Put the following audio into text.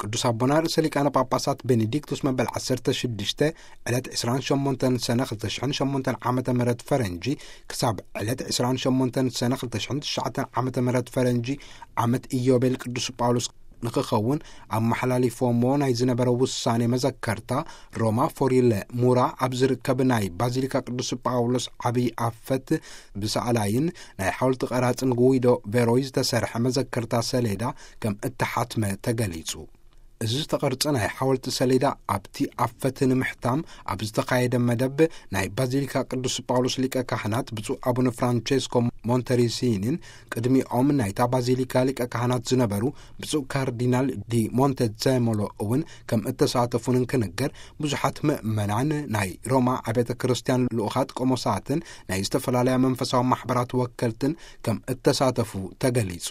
ቅዱስ ኣቦና ርእሰ ሊቃነ ጳጳሳት ቤኔዲክቱስ መበል ዓሰርተ ሽዱሽተ ዕለት ዕስራን ሸሞንተን ሰነ ክልተ ሽሕን ሸሞንተን ዓመተ ምህረት ፈረንጂ ክሳብ ዕለት ዕስራን ሸሞንተን ሰነ ክልተ ሽሕን ትሽዓተን ዓመተ ምህረት ፈረንጂ ዓመት ኢዮቤል ቅዱስ ጳውሎስ ንክኸውን ኣመሓላሊፎሞ ናይ ዝነበረ ውሳኔ መዘከርታ ሮማ ፎሪለ ሙራ ኣብ ዝርከብ ናይ ባዚሊካ ቅዱስ ጳውሎስ ዓብዪ ኣፈት ብሰኣላይን ናይ ሓወልቲ ቀራጽን ጉዊዶ ቬሮይ ዝተሰርሐ መዘከርታ ሰሌዳ ከም እተሓትመ ተገሊጹ። እዚ ዝተቐርጸ ናይ ሓወልቲ ሰሌዳ ኣብቲ ኣፈት ንምሕታም ኣብ ዝተኻየደ መደብ ናይ ባዚሊካ ቅዱስ ጳውሎስ ሊቀ ካህናት ብፁዕ ኣቡነ ፍራንቼስኮ ሞንተሪሲኒን ቅድሚኦም ናይታ ባዚሊካ ሊቀ ካህናት ዝነበሩ ብፁዕ ካርዲናል ዲ ሞንቴዘሞሎ እውን ከም እተሳተፉን እንክንገር፣ ብዙሓት ምእመናን ናይ ሮማ ኣብያተ ክርስቲያን ልኡኻት ቆሞሳትን ናይ ዝተፈላለያ መንፈሳዊ ማሕበራት ወከልትን ከም እተሳተፉ ተገሊጹ።